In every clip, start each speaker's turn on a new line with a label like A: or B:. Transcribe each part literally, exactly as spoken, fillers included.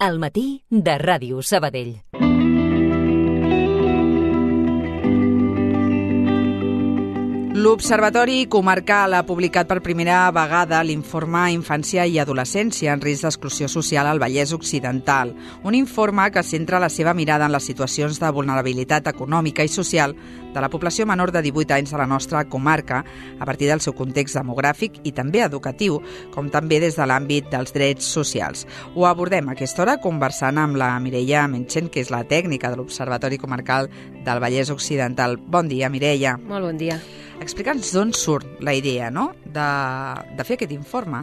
A: Al matí de Ràdio Sabadell.
B: L'Observatori Comarcal ha publicat per primera vegada l'informe Infància i Adolescència en risc d'exclusió social al Vallès Occidental, un informe que centra la seva mirada en les situacions de vulnerabilitat econòmica i social de la població menor de divuit anys de la nostra comarca a partir del seu context demogràfic i també educatiu, com també des de l'àmbit dels drets socials. Ho abordem a aquesta hora conversant amb la Mireia Menchen, que és la tècnica de l'Observatori Comarcal del Vallès Occidental. Bon dia, Mireia.
C: Molt bon dia.
B: Explica'ns d'on surt la idea, no?, de, de fer aquest informe.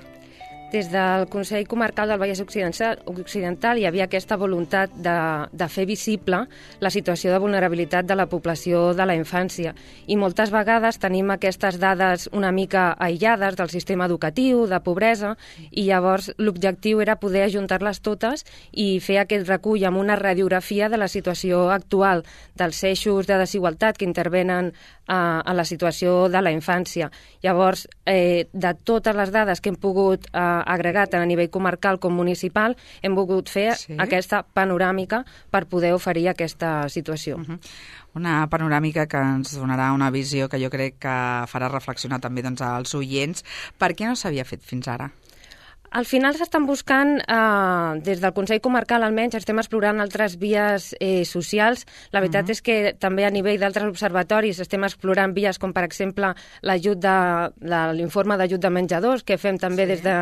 C: Des del Consell Comarcal del Vallès Occidental, Occidental hi havia aquesta voluntat de, de fer visible la situació de vulnerabilitat de la població de la infància. I moltes vegades tenim aquestes dades una mica aïllades del sistema educatiu, de pobresa, i llavors l'objectiu era poder ajuntar-les totes i fer aquest recull amb una radiografia de la situació actual dels eixos de desigualtat que intervenen a, a la situació de la infància. Llavors, eh, de totes les dades que hem pogut eh, agregar tant a nivell comarcal com municipal, hem volgut fer sí. aquesta panoràmica per poder oferir aquesta situació.
B: Uh-huh. Una panoràmica que ens donarà una visió que jo crec que farà reflexionar també doncs, als oients. Per què no s'havia fet fins ara?
C: Al final s'estan buscant, eh, des del Consell Comarcal almenys, estem explorant altres vies eh, socials. La veritat uh-huh. és que també a nivell d'altres observatoris estem explorant vies com, per exemple, l'ajut de, de l'informe d'ajut de menjadors, que fem també sí. des de,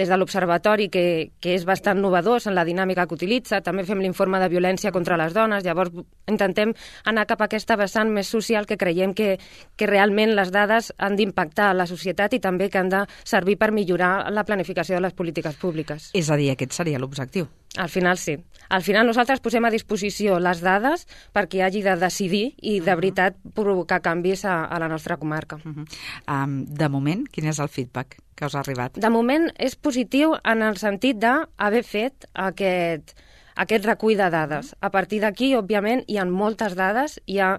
C: des de l'observatori, que, que és bastant novedós en la dinàmica que utilitza. També fem l'informe de violència contra les dones. Llavors intentem anar cap a aquesta vessant més social que creiem que, que realment les dades han d'impactar a la societat i també que han de servir per millorar la planificació de les polítiques públiques.
B: És a dir, aquest seria l'objectiu.
C: Al final sí. Al final nosaltres posem a disposició les dades perquè hagi de decidir i de veritat provocar canvis a, a la nostra comarca.
B: Uh-huh. um, de moment, quin és el feedback que us ha arribat?
C: De moment és positiu en el sentit d'haver fet aquest, aquest recull de dades. A partir d'aquí, òbviament, hi ha moltes dades, hi ha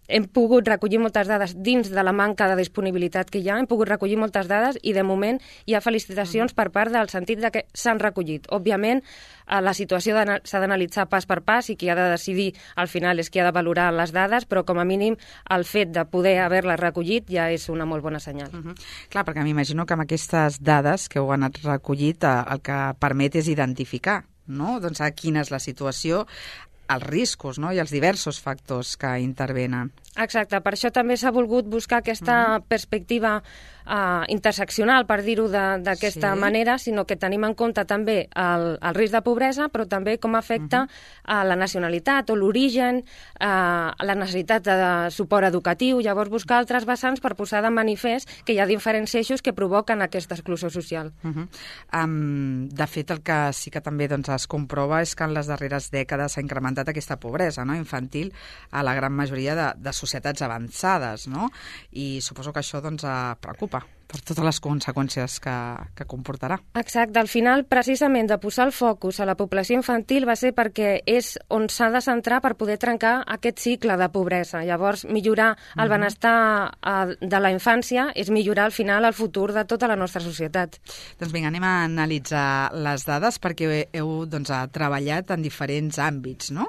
C: hem pogut recollir moltes dades dins de la manca de disponibilitat que hi ha, hem pogut recollir moltes dades i de moment hi ha felicitacions per part del sentit de que s'han recollit. Òbviament, la situació s'ha d'analitzar pas per pas i qui ha de decidir al final és qui ha de valorar les dades, però com a mínim el fet de poder haver-les recollit ja és una molt bona senyal.
B: Uh-huh. Clar, perquè m'imagino que amb aquestes dades que heu anat recollit el que permet és identificar, no?, doncs a quina és la situació, els riscos, no?, i els diversos factors que intervenen.
C: Exacte, per això també s'ha volgut buscar aquesta uh-huh. perspectiva uh, interseccional, per dir-ho d'aquesta sí. manera, sinó que tenim en compte també el, el risc de pobresa, però també com afecta uh-huh. a la nacionalitat o l'origen, uh, la necessitat de, de suport educatiu, llavors buscar altres vessants per posar de manifest que hi ha diferents eixos que provoquen aquesta exclusió social.
B: Uh-huh. um, de fet, el que sí que també doncs, es comprova és que en les darreres dècades s'ha incrementat aquesta pobresa, no?, infantil a la gran majoria de, de societats avançades, no? I suposo que això doncs, preocupa per totes les conseqüències que, que comportarà. Exacte.
C: Al final, precisament, de posar el focus a la població infantil va ser perquè és on s'ha de centrar per poder trencar aquest cicle de pobresa. Llavors, millorar el benestar de la infància és millorar, al final, el futur de tota la nostra societat.
B: Doncs vinga, anem a analitzar les dades perquè heu doncs, treballat en diferents àmbits, no?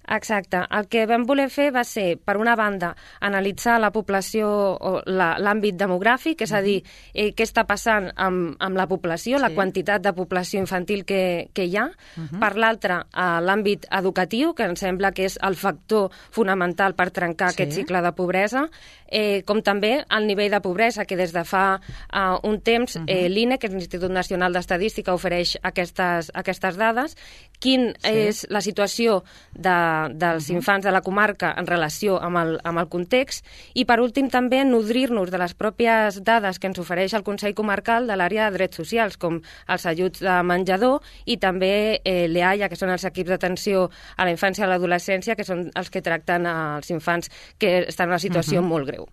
C: Exacte. El que vam voler fer va ser, per una banda, analitzar la població o l'àmbit demogràfic, és a dir, eh, què està passant amb, amb la població, sí. la quantitat de població infantil que, que hi ha. Uh-huh. Per l'altra, l'àmbit educatiu, que em sembla que és el factor fonamental per trencar sí. aquest cicle de pobresa, eh, com també el nivell de pobresa, que des de fa uh, un temps uh-huh. eh, l'I N E, que és l'Institut Nacional d'Estadística, ofereix aquestes, aquestes dades. Quin sí. és la situació de dels uh-huh. infants de la comarca en relació amb el, amb el context i, per últim, també nodrir-nos de les pròpies dades que ens ofereix el Consell Comarcal de l'àrea de drets socials, com els ajuts de menjador i també eh, l'E A I A, que són els equips d'atenció a la infància i a l'adolescència, que són els que tracten els infants que estan en una situació uh-huh. molt greu.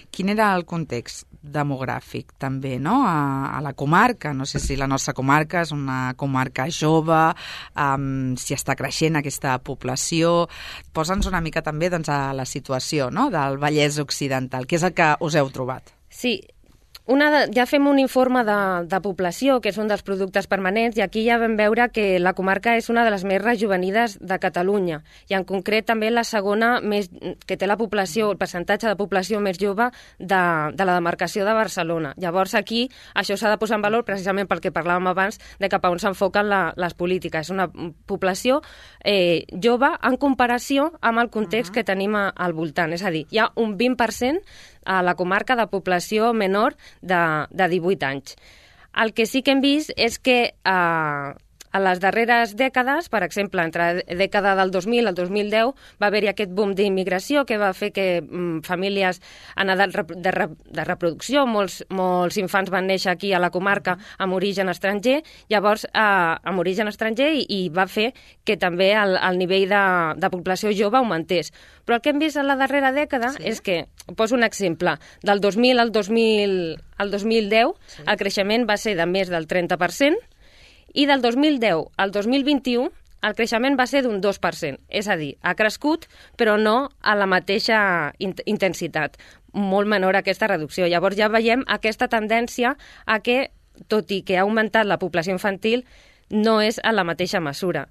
B: Quin era el context demogràfic, també, no?, a, a la comarca? No sé si la nostra comarca és una comarca jove, um, si està creixent aquesta població. Posa'ns una mica també doncs, a la situació, no?, del Vallès Occidental. Què és el que us heu trobat?
C: Sí, Una de, ja fem un informe de, de població, que és un dels productes permanents, i aquí ja vam veure que la comarca és una de les més rejuvenides de Catalunya, i en concret també la segona més, que té la població, el percentatge de població més jove de, de la demarcació de Barcelona. Llavors aquí això s'ha de posar en valor precisament pel que parlàvem abans de cap a on s'enfoquen la, les polítiques. És una població eh, jove en comparació amb el context uh-huh. que tenim a, al voltant. És a dir, hi ha un vint per cent a la comarca de població menor de, de divuit anys. El que sí que hem vist és que eh, a les darreres dècades, per exemple, entre la dècada del dos mil al dos mil deu, va haver-hi aquest boom d'immigració que va fer que mm, famílies en edat de, re, de reproducció, molts, molts infants van néixer aquí a la comarca amb origen estranger, llavors eh, amb origen estranger i, i va fer que també el, el nivell de, de població jove augmentés. Però el que hem vist en la darrera dècada sí. és que, poso un exemple, del dos mil al dos mil, al dos mil deu sí. el creixement va ser de més del trenta per cent, i del dos mil deu al dos mil vint-i-u el creixement va ser d'un dos per cent. És a dir, ha crescut, però no a la mateixa intensitat. Molt menor aquesta reducció. Llavors ja veiem aquesta tendència a que, tot i que ha augmentat la població infantil, no és a la mateixa mesura.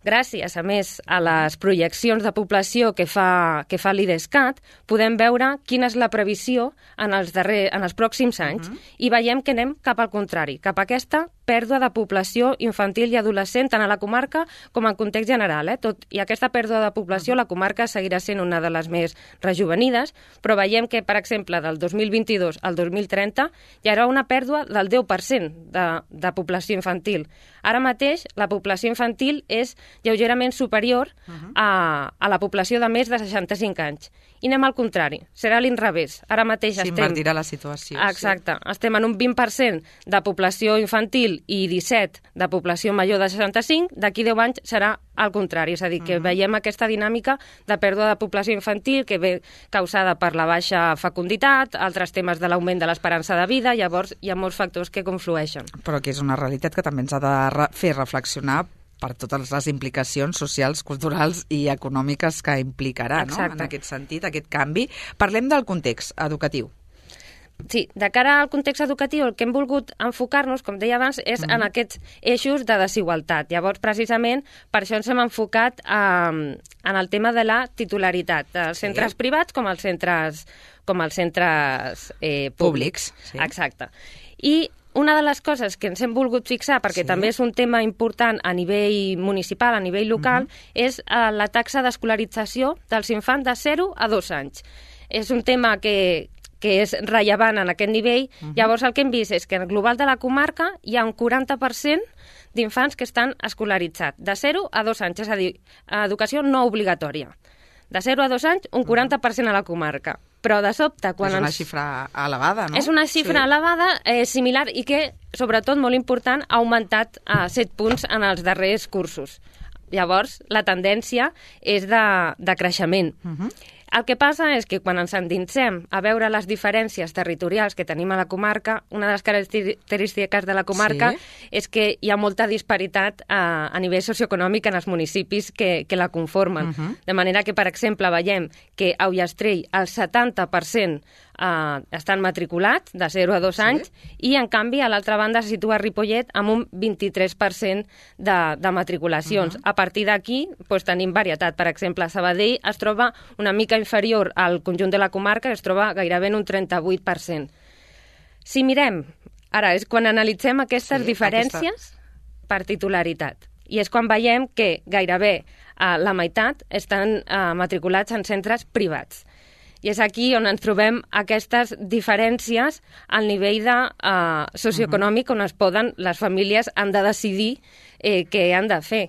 C: Gràcies, a més, a les projeccions de població que fa, que fa l'IDESCAT, podem veure quina és la previsió en els, darrer, en els pròxims anys uh-huh. i veiem que anem cap al contrari, cap a aquesta pèrdua de població infantil i adolescent tant a la comarca com en context general. Eh? Tot, I aquesta pèrdua de població, uh-huh. la comarca seguirà sent una de les més rejuvenides, però veiem que, per exemple, del dos mil vint-i-dos al dos mil trenta hi haurà una pèrdua del deu per cent de, de població infantil. Ara mateix, la població infantil és lleugerament superior uh-huh. a, a la població de més de seixanta-cinc anys. I anem al contrari, serà l'inrevés. Ara mateix estem...
B: S'invertirà la situació.
C: Exacte. Sí. Estem en un vint per cent de població infantil i disset de població major de seixanta-cinc, d'aquí deu anys serà al contrari. És a dir, que uh-huh. veiem aquesta dinàmica de pèrdua de població infantil que ve causada per la baixa fecunditat, altres temes de l'augment de l'esperança de vida, llavors hi ha molts factors que conflueixen.
B: Però que és una realitat que també ens ha de re- fer reflexionar per totes les implicacions socials, culturals i econòmiques que implicarà, no? En aquest sentit, aquest canvi. Parlem del context educatiu.
C: Sí, de cara al context educatiu el que hem volgut enfocar-nos, com deia abans, és mm. en aquests eixos de desigualtat. Llavors, precisament, per això ens hem enfocat eh, en el tema de la titularitat, dels sí. centres privats com els centres, com els centres eh, públics.
B: Públics, sí.
C: Exacte. I una de les coses que ens hem volgut fixar, perquè sí. també és un tema important a nivell municipal, a nivell local, uh-huh. és uh, la taxa d'escolarització dels infants de zero a dos anys. És un tema que, que és rellevant en aquest nivell. Uh-huh. Llavors el que hem vist és que en el global de la comarca hi ha un quaranta per cent d'infants que estan escolaritzats, de zero a dos anys, és a dir, educació no obligatòria. De zero a dos anys, un quaranta per cent a la comarca. Però de sobte, quan
B: és una
C: ens...
B: xifra elevada, no?
C: És una xifra sí. elevada, eh, similar, i que, sobretot, molt important, ha augmentat a eh, set punts en els darrers cursos. Llavors, la tendència és de, de creixement. Uh-huh. El que passa és que quan ens endinsem a veure les diferències territorials que tenim a la comarca, una de les característiques de la comarca sí. és que hi ha molta disparitat a, a nivell socioeconòmic en els municipis que, que la conformen. Uh-huh. De manera que, per exemple, veiem que a Ullastrell el setanta per cent Uh, estan matriculats de zero a dos sí. anys i, en canvi, a l'altra banda se situa Ripollet amb un vint-i-tres per cent de, de matriculacions. Uh-huh. A partir d'aquí pues, tenim varietat. Per exemple, Sabadell es troba una mica inferior al conjunt de la comarca, es troba gairebé en un trenta-vuit per cent. Si mirem, ara és quan analitzem aquestes sí, diferències aquesta... per titularitat. I és quan veiem que gairebé uh, la meitat estan uh, matriculats en centres privats. I és aquí on ens trobem aquestes diferències al nivell de, uh, socioeconòmic on es poden, les famílies han de decidir eh, què han de fer.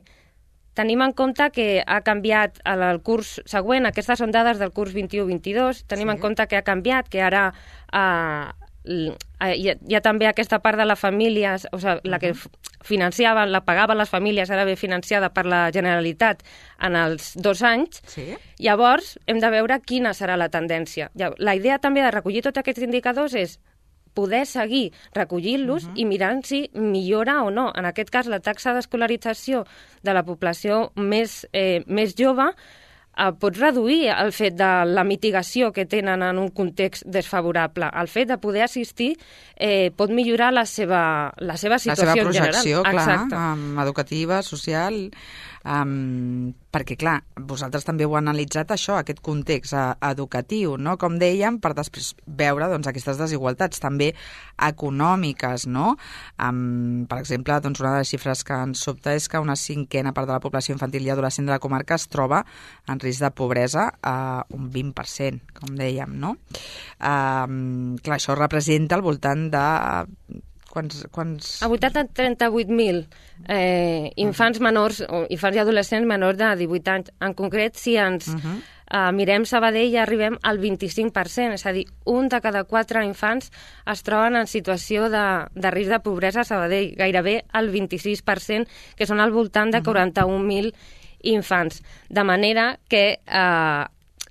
C: Tenim en compte que ha canviat el curs següent, aquestes són dades del curs vint-i-u vint-i-dos, tenim sí. en compte que ha canviat, que ara uh, hi, ha, hi ha també aquesta part de les famílies, o sigui, la que financiaven, la pagaven les famílies, ara ve financiada per la Generalitat en els dos anys. Sí. Llavors, hem de veure quina serà la tendència. La idea també de recollir tots aquests indicadors és poder seguir recollint-los uh-huh. i mirant si millora o no. En aquest cas, la taxa d'escolarització de la població més, eh, més jove eh, pots reduir el fet de la mitigació que tenen en un context desfavorable. El fet de poder assistir eh, pot millorar la seva, la seva situació
B: la seva projecció,
C: en general.
B: clar, um, educativa, social... Um, perquè, clar, vosaltres també heu analitzat això, aquest context uh, educatiu, no? Com dèiem, per després veure doncs, aquestes desigualtats també econòmiques, no? Um, per exemple, doncs, una de les xifres que ens sobta és que una cinquena part de la població infantil i adolescent de la comarca es troba en risc de pobresa a uh, un vint per cent, com dèiem, no? Um, clar, això representa al voltant de... Quants, quants...
C: A vuitanta a trenta-vuit mil eh, infants menors, o infants i adolescents menors de divuit anys. En concret, si ens uh -huh. eh, mirem Sabadell, ja arribem al vint-i-cinc per cent, és a dir, un de cada quatre infants es troben en situació de, de risc de pobresa a Sabadell, gairebé el vint-i-sis per cent, que són al voltant de quaranta-un mil infants. De manera que... Eh,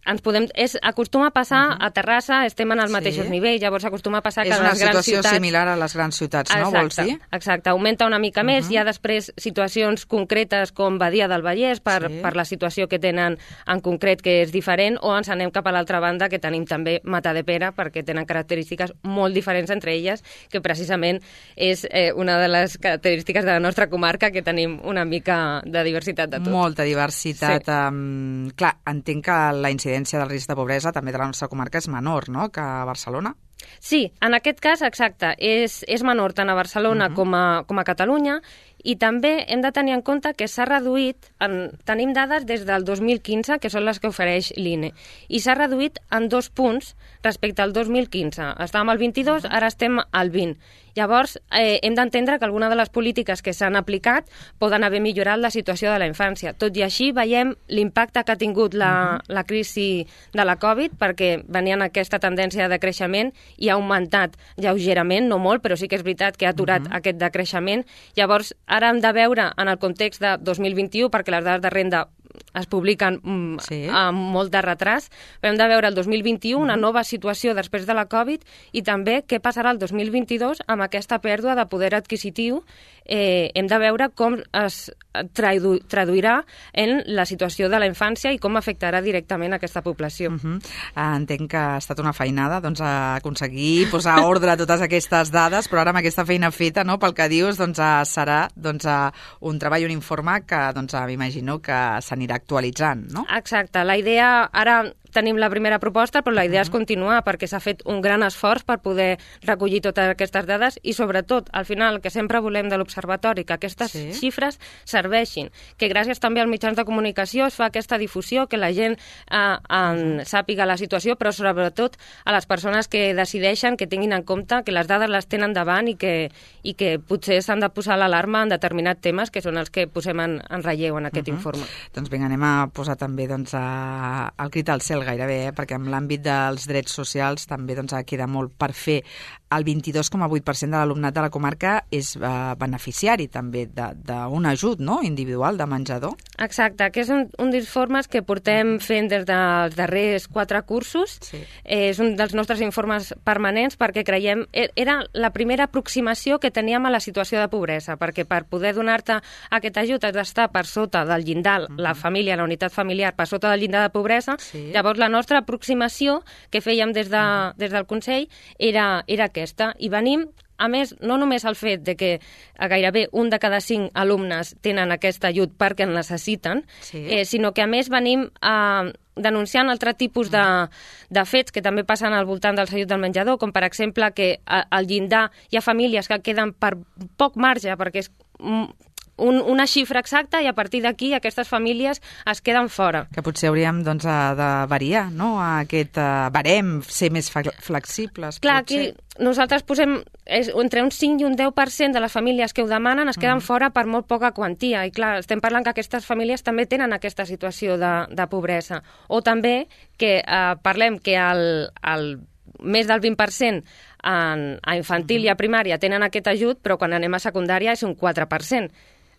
C: ens podem, és, acostuma a passar uh -huh. a Terrassa, estem en els mateixos sí. nivells, llavors acostuma a passar que a les grans ciutats...
B: És una situació similar a les grans ciutats, no?
C: Exacte,
B: Vols dir?
C: Exacte, augmenta una mica uh -huh. més, hi ha després situacions concretes com Badia del Vallès per, sí. per la situació que tenen en concret que és diferent, o ens anem cap a l'altra banda que tenim també Matadepera perquè tenen característiques molt diferents entre elles, que precisament és eh, una de les característiques de la nostra comarca, que tenim una mica de diversitat de tot.
B: Molta diversitat.
C: Sí.
B: Um, clar, entenc que la incidència del risc de pobresa també de la nostra comarca és menor, no?, que a Barcelona.
C: Sí, en aquest cas, exacte, és, és menor tant a Barcelona uh -huh. com, a, com a Catalunya, i també hem de tenir en compte que s'ha reduït, en, tenim dades des del dos mil quinze, que són les que ofereix l'I N E, i s'ha reduït en dos punts respecte al dos mil quinze. Estàvem al vint-i-dos, ara estem al vint. Llavors, eh, hem d'entendre que alguna de les polítiques que s'han aplicat poden haver millorat la situació de la infància. Tot i així, veiem l'impacte que ha tingut la, la crisi de la Covid, perquè venien aquesta tendència de creixement i ha augmentat lleugerament, no molt, però sí que és veritat que ha aturat uh-huh. aquest decreixement. Llavors, ara hem de veure en el context de dos mil vint-i-u, perquè les dades de renda es publiquen mm, sí. amb molt de retras, però hem de veure el dos mil vint-i-u, una nova situació després de la Covid, i també què passarà el dos mil vint-i-dos amb aquesta pèrdua de poder adquisitiu. Eh, hem de veure com es tradu traduirà en la situació de la infància i com afectarà directament aquesta població.
B: Uh -huh. uh, entenc que ha estat una feinada doncs, a aconseguir posar ordre a totes aquestes dades, però ara amb aquesta feina feta, no, pel que dius, doncs, uh, serà doncs, uh, un treball, un informe que doncs, uh, m'imagino que s'anirà actualitzant, no?
C: Exacte. La idea ara... Tenim la primera proposta, però la idea uh -huh. és continuar, perquè s'ha fet un gran esforç per poder recollir totes aquestes dades i, sobretot, al final, el que sempre volem de l'Observatori, que aquestes sí. xifres serveixin, que gràcies també als mitjans de comunicació es fa aquesta difusió, que la gent eh, en sàpiga la situació, però, sobretot, a les persones que decideixen, que tinguin en compte que les dades les tenen davant i que, i que potser s'han de posar l'alarma en determinats temes, que són els que posem en, en relleu en aquest uh -huh. informe.
B: Doncs vinga, anem a posar també doncs, a, el crit al cel gairebé, eh? Perquè en l'àmbit dels drets socials també doncs, queda molt per fer. El vint-i-dos coma vuit per cent de l'alumnat de la comarca és eh, beneficiari també d'un ajut, no?, individual de menjador.
C: Exacte, que és un, un dels informes que portem fent des dels darrers quatre cursos. Sí. Eh, és un dels nostres informes permanents perquè creiem... Era la primera aproximació que teníem a la situació de pobresa, perquè per poder donar-te aquest ajut has d'estar per sota del llindar, uh-huh. la família, la unitat familiar, per sota del llindar de pobresa. Sí. Llavors, la nostra aproximació que fèiem des, de, uh-huh. des del Consell era, era aquesta. I venim, a més, no només el fet de que gairebé un de cada cinc alumnes tenen aquest ajut perquè en necessiten, sí. eh, sinó que, a més, venim a... denunciant altre tipus de, de fets que també passen al voltant del ajut del menjador, com per exemple que al llindar hi ha famílies que queden per poc marge, perquè és un, una xifra exacta, i a partir d'aquí aquestes famílies es queden fora.
B: Que potser hauríem doncs, de variar, no?, aquest uh, barem, ser més flexibles.
C: Clar,
B: potser.
C: aquí nosaltres posem és, entre un cinc i un deu per cent de les famílies que ho demanen es queden mm. fora per molt poca quantia, i clar, estem parlant que aquestes famílies també tenen aquesta situació de, de pobresa. O també que eh, parlem que el, el més del vint per cent en, a infantil mm. i a primària tenen aquest ajut, però quan anem a secundària és un quatre per cent.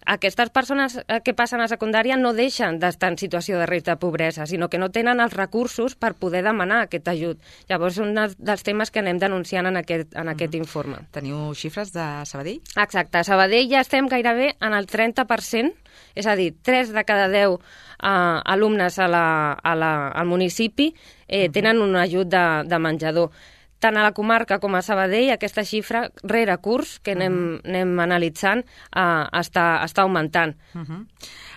C: aquestes persones que passen a secundària no deixen d'estar en situació de risc de pobresa, sinó que no tenen els recursos per poder demanar aquest ajut. Llavors, és un dels temes que anem denunciant en aquest, en aquest mm. informe.
B: Teniu xifres de Sabadell?
C: Exacte. A Sabadell ja estem gairebé en el trenta per cent, és a dir, tres de cada deu uh, alumnes a la, a la, al municipi eh, mm. tenen un ajut de, de menjador. Tant a la comarca com a Sabadell, aquesta xifra, rere curs, que anem, uh -huh. anem analitzant, uh, està, està augmentant.
B: Uh -huh.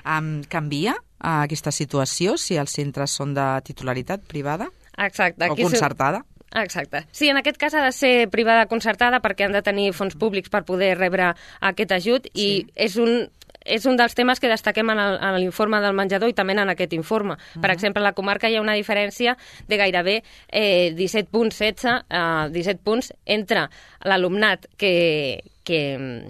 B: um, canvia uh, aquesta situació si els centres són de titularitat privada?
C: Exacte.
B: O concertada?
C: Exacte. Sí, en aquest cas ha de ser privada concertada perquè han de tenir fons públics per poder rebre aquest ajut i sí. és un... És un dels temes que destaquem en l'informe del menjador i també en aquest informe. Uh-huh. Per exemple, a la comarca hi ha una diferència de gairebé eh, disset punts, setze, eh, disset punts entre l'alumnat que, que,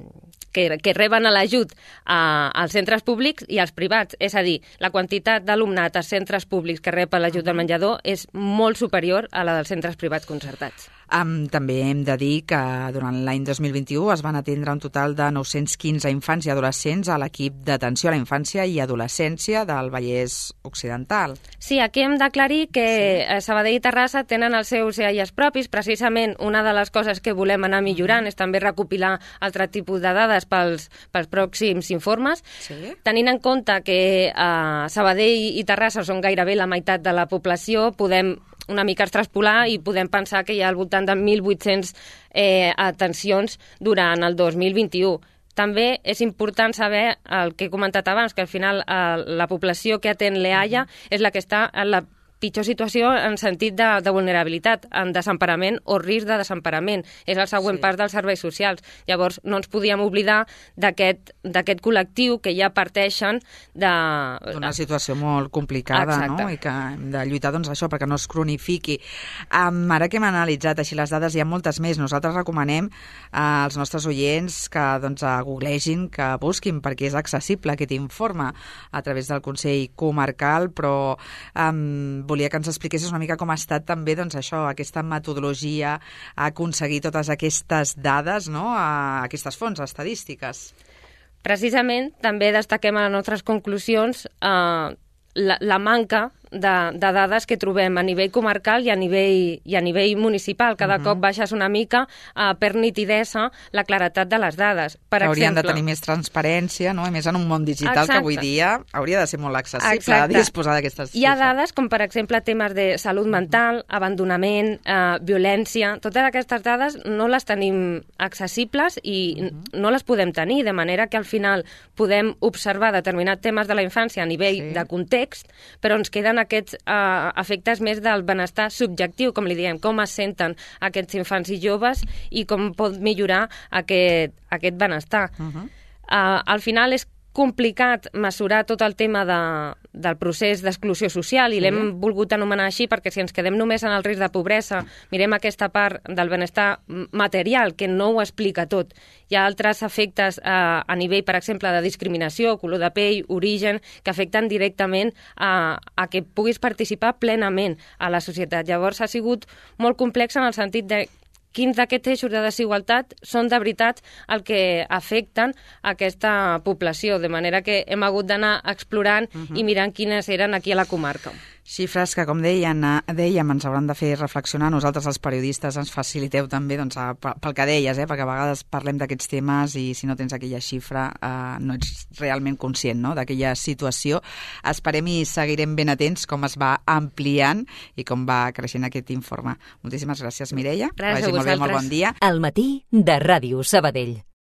C: que, que reben l'ajut eh, als centres públics i als privats. És a dir, la quantitat d'alumnat als centres públics que rep l'ajut uh-huh. del menjador és molt superior a la dels centres privats concertats.
B: Um, també hem de dir que durant l'any dos mil vint-i-u es van atendre un total de nou-cents quinze infants i adolescents a l'equip d'atenció a la infància i adolescència del Vallès Occidental.
C: Sí, aquí hem d'aclarir que sí. Sabadell i Terrassa tenen els seus E A I A S propis. Precisament una de les coses que volem anar millorant és també recopilar altre tipus de dades pels, pels pròxims informes. Sí. Tenint en compte que uh, Sabadell i Terrassa són gairebé la meitat de la població, podem una mica extraspolar i podem pensar que hi ha al voltant de mil vuit-cents eh, atencions durant el dos mil vint-i-u. També és important saber el que he comentat abans, que al final eh, la població que atén l'E A I A és la que està en la pitjor situació en sentit de, de vulnerabilitat, en desemparament o risc de desemparament. És el següent sí. pas dels serveis socials. Llavors, no ens podíem oblidar d'aquest col·lectiu que ja parteixen de...
B: D'una situació molt complicada, Exacte. no? I que hem de lluitar, doncs, això, perquè no es cronifiqui. Um, ara que hem analitzat així les dades, hi ha moltes més. Nosaltres recomanem uh, als nostres oients que doncs, googlegin, que busquin, perquè és accessible aquest informe a través del Consell Comarcal, però um, volia que ens expliquessis una mica com ha estat també doncs, això, aquesta metodologia a aconseguir totes aquestes dades, no? a aquestes fonts estadístiques.
C: Precisament, també destaquem a les nostres conclusions eh, la, la manca de, de dades que trobem a nivell comarcal i a nivell, i a nivell municipal. Cada uh-huh. cop baixes una mica uh, per nitidesa la claretat de les dades. Per
B: Haurien
C: exemple,
B: de tenir més transparència, no? A més, en un món digital Exacte. que avui dia hauria de ser molt accessible
C: Exacte.
B: disposar d'aquestes xifres.
C: Hi ha dades com, per exemple, temes de salut mental, abandonament, eh, violència... Totes aquestes dades no les tenim accessibles i uh-huh. no les podem tenir, de manera que al final podem observar determinats temes de la infància a nivell sí. de context, però ens queden aquests uh, efectes més del benestar subjectiu, com li diem, com es senten aquests infants i joves i com pot millorar aquest, aquest benestar. Uh-huh. uh, al final és complicat mesurar tot el tema de, del procés d'exclusió social i sí. l'hem volgut anomenar així perquè si ens quedem només en el risc de pobresa, mirem aquesta part del benestar material que no ho explica tot. Hi ha altres efectes eh, a nivell, per exemple, de discriminació, color de pell, origen, que afecten directament a, a que puguis participar plenament a la societat. Llavors ha sigut molt complex en el sentit de quins d'aquests eixos de desigualtat són de veritat el que afecten aquesta població, de manera que hem hagut d'anar explorant uh-huh. i mirant quines eren aquí a la comarca.
B: Xifres que, com deien, dèiem, ens hauran de fer reflexionar. Nosaltres, els periodistes, ens faciliteu també doncs, pel que deies, eh? perquè a vegades parlem d'aquests temes i si no tens aquella xifra eh, no ets realment conscient no? d'aquella situació. Esperem i seguirem ben atents com es va ampliant i com va creixent aquest informe. Moltíssimes gràcies, Mireia.
C: Gràcies a
B: vosaltres. Molt bé, molt bon dia.
A: Al matí de Ràdio Sabadell.